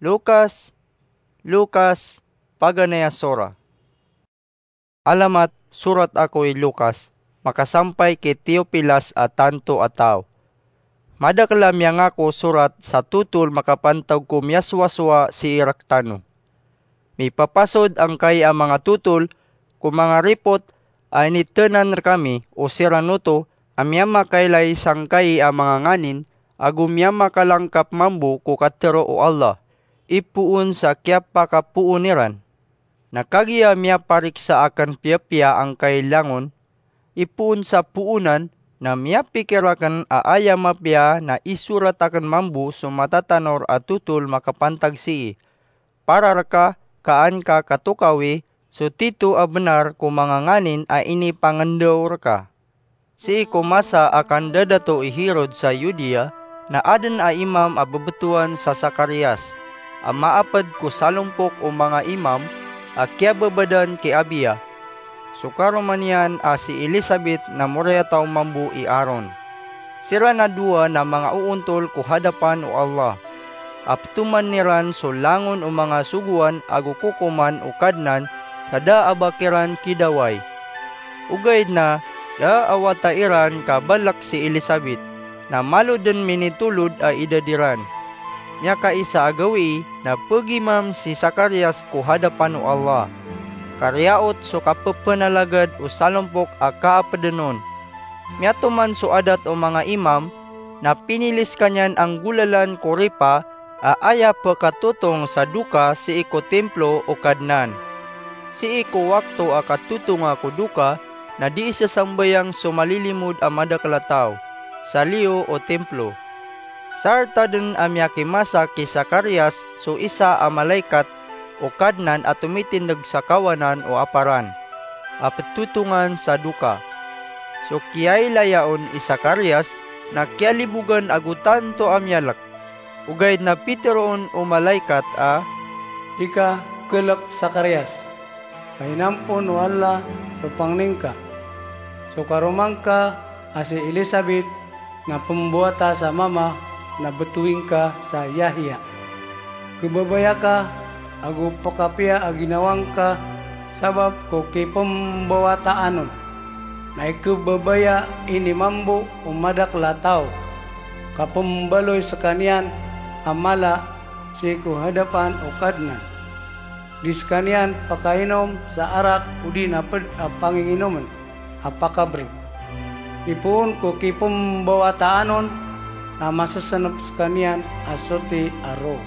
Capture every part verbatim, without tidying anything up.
Lukas, Lukas, paganay a sora. Alamat, sorat ako i Lukas, makasampay ki Teopilas a tanto a taw. Madakel a miyangako sorat sa totol makapantag ko miyasowasowa sii rektano. Mipapasod angkai a manga totol ko manga ripot a initenan rekami o siran oto a miyamakailay sangkai a manga nganin ago miyamakalangkap mambo ko katero o Allah, ipoon sa kiyapakapoon iran. Na kagiya miyapariksa aken piyapiya angkai langon, ipoon sa poonan, na miyapikir aken a aya mapiya na isorat aken mambo so matatanor a totol makapantag sii. Para reka ka an ka katokawi so tito a benar ko manga nganin a inipangendaw reka. Sii ko masa a kandadato i Herod sa Judea, na aden a imam a bebetowan sa Zacarias, a maaped ko salompok o manga imam a kiyababadan ki Abiya. So karoma niyan a si Elisabet na moriyataw mambo i Aaron. Siran a dowa na manga oontol ko hadapan o Allah, a petoman iran so langon o manga sogoan ago kokoman o Kadnan sa da a ba kiran kidawai. Ogaid na da a wata iran ka balek si Elisabet, na malo den minitolod a idad iran. Miyakaisa a gawii na pegimam si Zacarias ko hadapan o Allah. Kariyaot so kapepenalagad o salompok a kaapeden on. Miyatoman so adat o manga imam, na pinili sekaniyan a nggolalan ko ripa a aya pekatotong sa doka sii ko templo o Kadnan. Sii ko wakto a katotonga ko doka, na dii sesambayang so malilimod a madakel a taw sa liyo o templo. Sarta den a miyakimasa ki Zacarias so isa a malaikat o Kadnan a tomitindeg sa kawanan o aparan a petotongan sa doka. So kiyailaya on i Zacarias na kiyalibogan ago tanto a miyalek. Ogaid na piteroon o malaikat a, "Di ka kelek, Zacarias, ka inampon o Allah so pangni ngka. So karoma ngka a si Elisabet na pembowata sa mama na betowi ngka sa Yahya. Kebabaya ka ago pekapiya a ginawa ngka sabap ko kipembowataan on. Na ikebabaya ini mambo o madakel a taw, ka pembaloy sekaniyan a mala sii ko hadapan o Kadnan. Di sekaniyan pakainom sa arak odi na ped a panginginomen a pakabreg. Ipoon ko kipembawataan on na masesenep sekaniyan a soti a roo."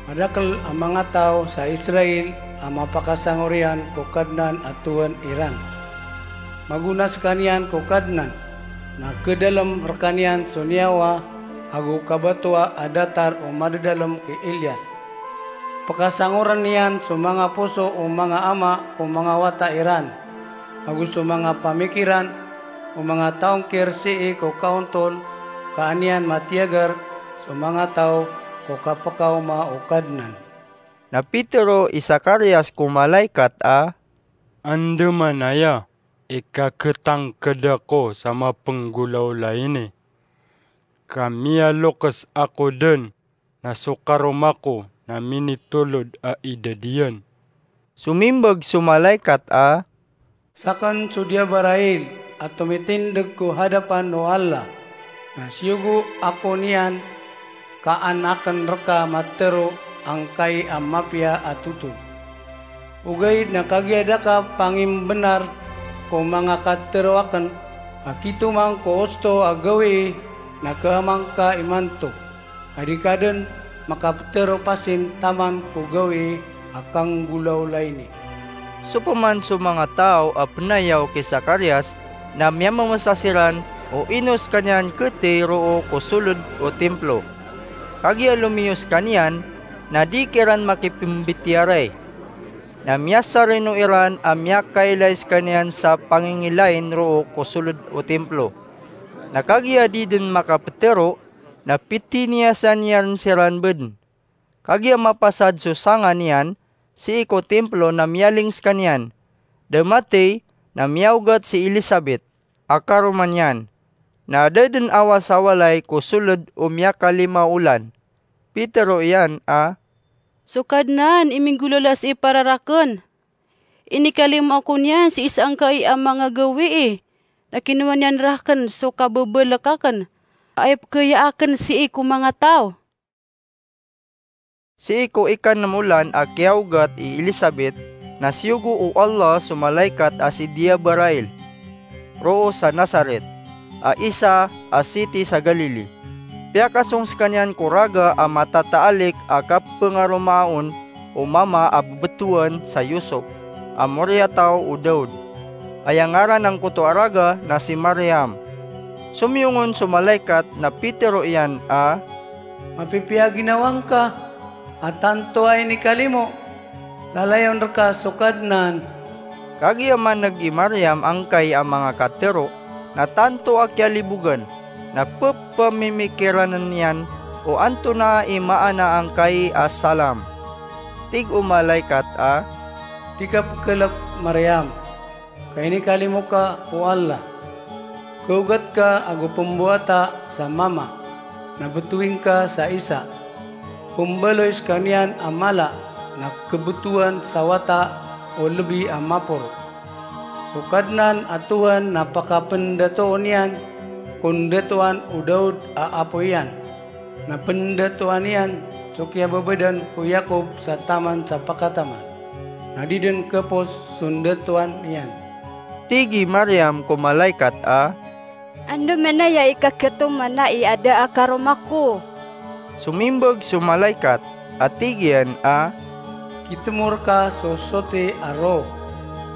Madakel a manga taw sa Israel a mapakasangor iyan ko Kadnan a Tuhan iran. Magona sekaniyan ko Kadnan, na kedalem rekaniyan so niyawa ago kabatoa a datar o madadalem ki Elias. Pekasangoren iyan so manga poso o manga ama ko manga wata iran, ago so manga pamikiran o manga taw ngker sii ko kaontol, ka an iyan matiyagar so manga taw ko kapekaoma o Kadnan. Na pitero i Zacarias ko malaikat a, "Andamanaya i kaketangked ako sa mapenggolaola ini, ka miyalokes ako den na so karoma ko na minitolod a idad iyan." Somimbag so malaikat a, "Saken so Jabarail a tomitindeg ko hadapan o Allah, na siyogo ako niyan ka an aken reka matero angkai a mapiya a totol. Ogaid na kagiya da ka pangimbenar ko manga katero aken, a kitomang ko osto a gawii na keamang ka imanto, a di ka den makapetero pasin taman ko gawii a kanggolaola ini." Sopeman so manga taw a penayaw ki Zacarias na miyamemesa siran o ino sekaniyan ketey roo ko soled o timplo. Kagiya lomiyo sekaniyan, na di kiran makipembitiyarai. Na miyasarino iran a miyakailay sekaniyan sa pangingilain roo ko soled o timplo. Na kagiya di den makapetero, na pitiniyasan iyan siran beden. Kagiya mapasad so sanga niyan sii ko timplo na miyaling sekaniyan. Da matey na miyaogat si Elisabet a karoma niyan, na da den awas a walay ko soled o miyakalima olan. Pitero iyan a, So Kadnan i minggolawla sii para rakn. Inikalimo ako niyan sii sangkai a manga gawii, na kinowa niyan rakn so kabebalk akn a ipkhaya akn sii ko manga taw." Sii ko ikanem olan a kiyaogat i Elisabet, na siyogo o Allah so malaikat a si Diabarail, roo sa Nazaret, a isa a siti sa Galili. Piyakasong skaniyan ko raga a matataalik a kapengaromaa on o mama a bebetowan sa Yusuf, a moriyataw o Daud. Aya ngaran angkoto a raga na si Mariam. Somiyong on so malaikat na pitero iyan a, "Mapipiya ginawa ngka, a tanto a inikalimo, lalayon rka so Kadnan." Kagiya maneg i Mariam angkai a manga katero, na tanto a kiyalibogan, na pepemimikiranen iyan o antonaa i maana angkai a salam. Tig o malaikat a, "Di ka pekelek, Mariam, ka inikalimo ka o Allah. Kaogat ka ago pembowata sa mama, na betowi ngka sa isa. Pembaloy skaniyan a mala, na kebetowan sa wata o lebi a maporo. So Kadnan a Tohan na pakapendatoon iyan ko ndatoan o Daud a apo iyan, na pendatoan iyan so kiyababadan ko Yakob sa taman sa pakataman, na di den kepos so ndatoan iyan." Tig i Mariam ko malaikat a, "Andamanaya i kaketoman ai a da a karoma ko?" Somimbeg so malaikat a tig iyan a, "Kitemo rka so soti a roh,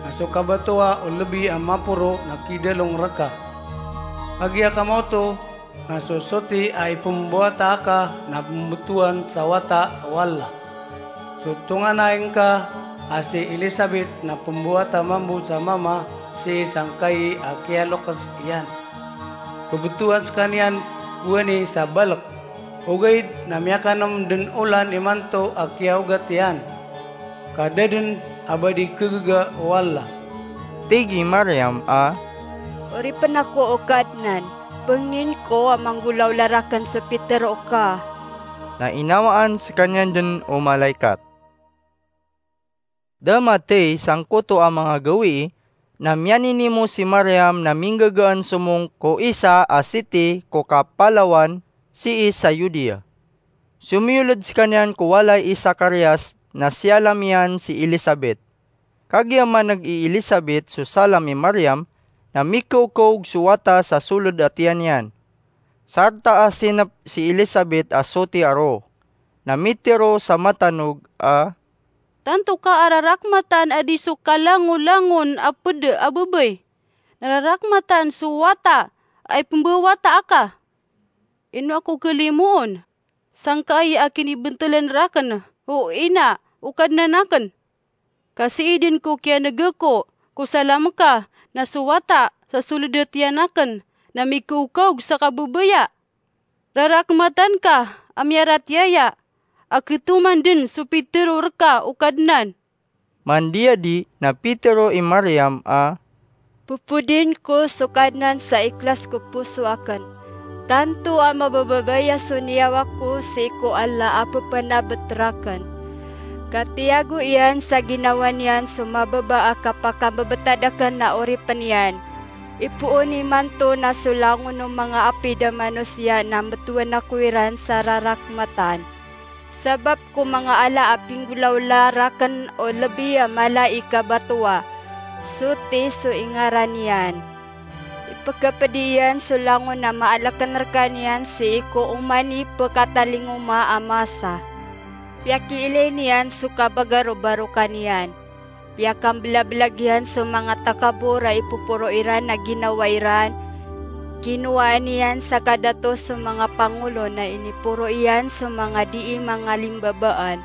na so kabatowa o lebi a maporo na kidalong rka. Kagiya ka maoto, na so soti a ipembowata aka na pembetowan sa wata o Allah. So tonganay ngka a si Elisabet na pembowata mambo sa mama sii sangkai a kiyalokes iyan. Pebetowan skaniyan gowani sa balek, ogaid na miyakanem den olan imanto a kiyaogat iyan, ka da den a ba di kegega o Allah." Tig i Mariam a, "Oripen ako o Kadnan, pengnin ko a manggolawla rakn so pitero ka." Na inawaan skaniyan den o malaikat. Da mathay sangkoto a manga gawii, na miyaninimo si Mariam na minggagaan somong ko isa a siti ko kapalawan sii sa Yudea. Somiyoled skaniyan ko walay i Zacarias na siyalam iyan si Elisabet. Kagiya maneg i Elisabet so salam i Mariam, na mikaokaog so wata sa soled a tiyan iyan. Sarta a sinep si Elisabet a soti a roh, na mitero sa matanog a, "Tanto ka a rarakmatan a di so kalangolangon a ped a babay, na rarakmatan so wata a ipembawata aka. Ino ako kalimoon, sangkai a kinibentelen rakn o ina o Kadnan akn? Ka sii den ko kiyaneg ako ko salam ka na so wata sa soled a tiyan akn na mikaokaog sa kababaya. Rarakmatan ka a miyaratiyaya a ketoman den so pitero rka o Kadnan." Mandiyadi na pitero i Mariam a, "Pepodin ko so Kadnan sa ikhlas ko poso akn. Tanto a mabababaya so niyawa ko sii ko Allah a pepenabet rakn. Ka tiyago iyan sa ginawa niyan so mababa a kapakambebetad akn a oripen iyan. Ipoon imanto na so langon o manga apid a manosiya na mbetowan ako iran sa rarakmatan. Sabap ko manga ala a pinggolawla rakn o lebi a mala i kabatowa, soti so ingaran iyan. Ipekepedi iyan so langon a maaleken rekaniyan sii ko oman i pekatalingoma a masa. Piyakiilay niyan so kabagarobaro kaniyan. Piyakambelabelag iyan so manga takabor a ipoporo iran a ginawa iran. Kinowaan iyan sa kadato so manga pangolo na iniporo iyan so manga dii mangalimbabaan.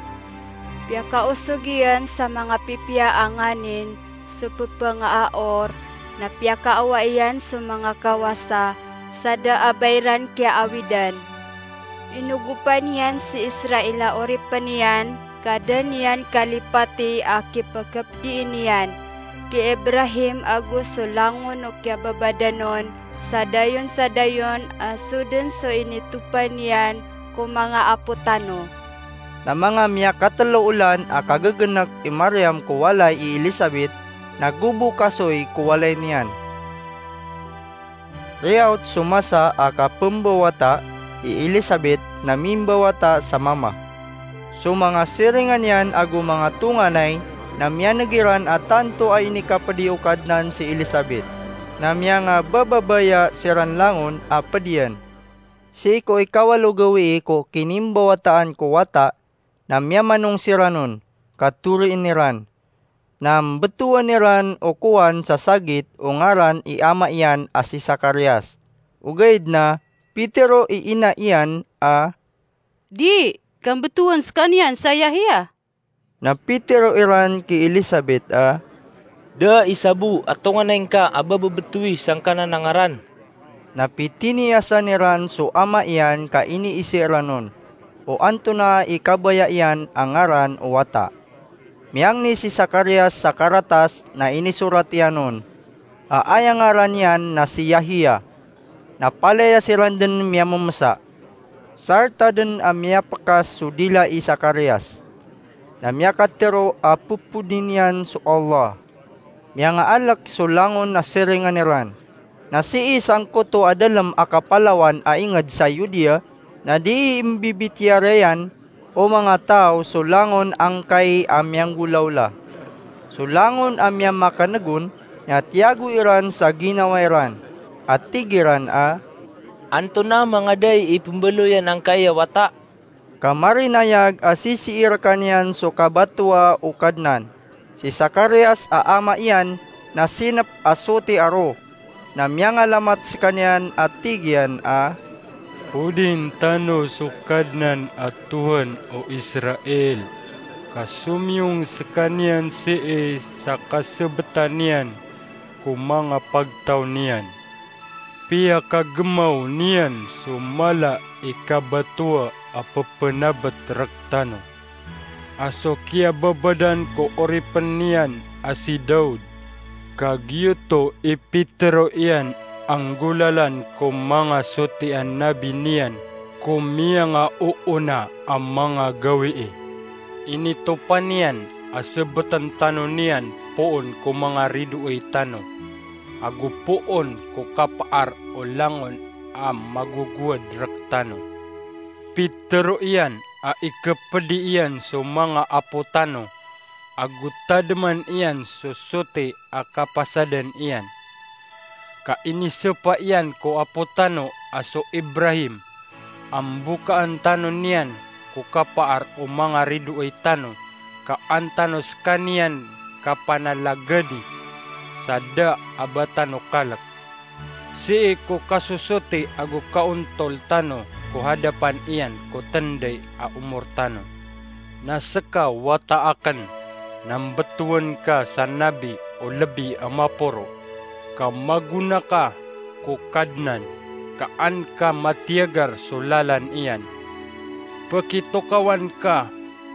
Piyakaosog iyan sa manga pipiya a nganin so pepangaaor, na piyakaawa iyan so manga kawasa sa da a ba iran kiyaawidan. Inogopan iyan si Israel a oripen iyan, ka da niyan kalipati a kipekepedii niyan ki Ibrahim ago so langon o kiyababadanon, sa dayon sa dayon a so den so initopa niyan ko manga apo tano. Na manga miyakatelo olan a kagegenek i Mariam ko walay i Elisabet, na gobo kasoy ko walay niyan. Riyaot so masa a kapembawata i Elisabet na mimbawata sa mama. So manga siringan iyan ago manga tonganay na miyaneg iran a tanto a inikapedi o Kadnan si Elisabet, na miyangabababaya siran langon a pedian. Sii ko ikawalo gawii ko kinimbawataan ko wata, na miyamanong siran on, ka toriin iran. Na mbetowan iran o kowan sa sagit o ngaran i ama iyan a si Zacarias. Ogaid na pitero i ina iyan a, "Di, ka mbetowan sekaniyan sa Yahya." Na pitero iran ki Elisabet a, "Da i sabo a tonganay ngka a bababetowi sangkanan a ngaran." Na pitiniyasan iran so ama iyan ka iniisi iran on o antonaa i kabaya iyan a ngaran o wata. Miyangni si Zacarias sa karatas na inisorat iyan on a aya ngaran iyan na si Yahya. Na palaya siran den miyamemesa. Sarta den a miyapekas so dila i Zacarias, na miyakatero a pepodi niyan so Allah. Miyangaalek so langon a siringan iran. Na sii sangkoto a dalem a kapalawan a inged sa Yudea, na dii mbibitiyara iyan o manga taw so langon angkai a miyanggolawla. So langon a miyamakaneg on na tiyago iran sa ginawa iran, a tig iran a, "Antonaa mangada i pembaloyan angkai a wata?" Ka marinayag a sisii rekaniyan so kabatoa o Kadnan. Si Zacarias a ama iyan na sinep a soti a ro, na miyangalamat sekaniyan a tig iyan a, "Podin tano so Kadnan a Tohan o Israel, ka somiyong sekaniyan sii sa kasebetan iyan ko manga pagtaw niyan. Piyakagemaw niyan so mala i kabatoa a pepenabet rektano, a so kiyababadan ko oripen iyan a si Daud, ka giyoto i pitero iyan a nggolalan ko manga soti a nabi niyan ko miyangaoona a manga gawii. Initopan iyan a sebeten tano niyan poon ko manga ridoay tano, ago poon ko kapaar o langon a magogowad rektano. Pitero iyan a ikepedi iyan so manga apo tano, ago tademan iyan so soti a kapasadan iyan. Ka inisepa iyan ko apo tano a so Ibrahim a mbokaan tano niyan ko kapaar o manga ridoay tano, ka an tano sekaniyan kapanalagadi sa da a ba tano kalek. Sii ko kasosoti ago kaontol tano ko hadapan iyan ko tenday a omor tano. Na seka wata aken, na mbetowan ka sa nabi o lebi a maporo, ka magona ka ko Kadnan, ka an ka matiyagar so lalan iyan. Pekitokawan ka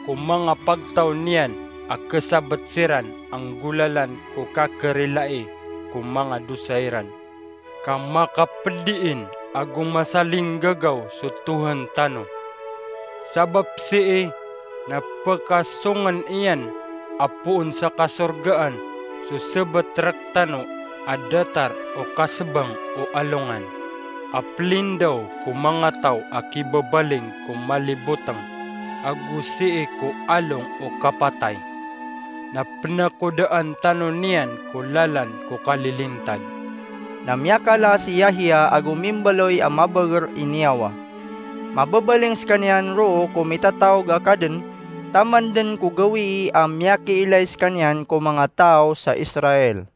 ko manga pagtaw niyan a kesabet siran a nggolalan ko kakerilai ko manga dosa iran, ka makapediin ago masalinggagaw so Tohan tano. Sabap sii na pekasongen iyan a poon sa kasorgaan so sebet rektano a datar o kasebang o alongan, a pelindaw ko manga taw a kibabaling ko maliboteng, ago sii ko along o kapatay. Na penakodaan tano niyan ko lalan ko kalilintad. Na miyakala si Yahya ago mimbaloy a mabeger i niyawa. Mabebaling sekaniyan roo ko mitataog a kaden, taman den ko gawii a miyakiilay sekaniyan ko manga taw sa Israel.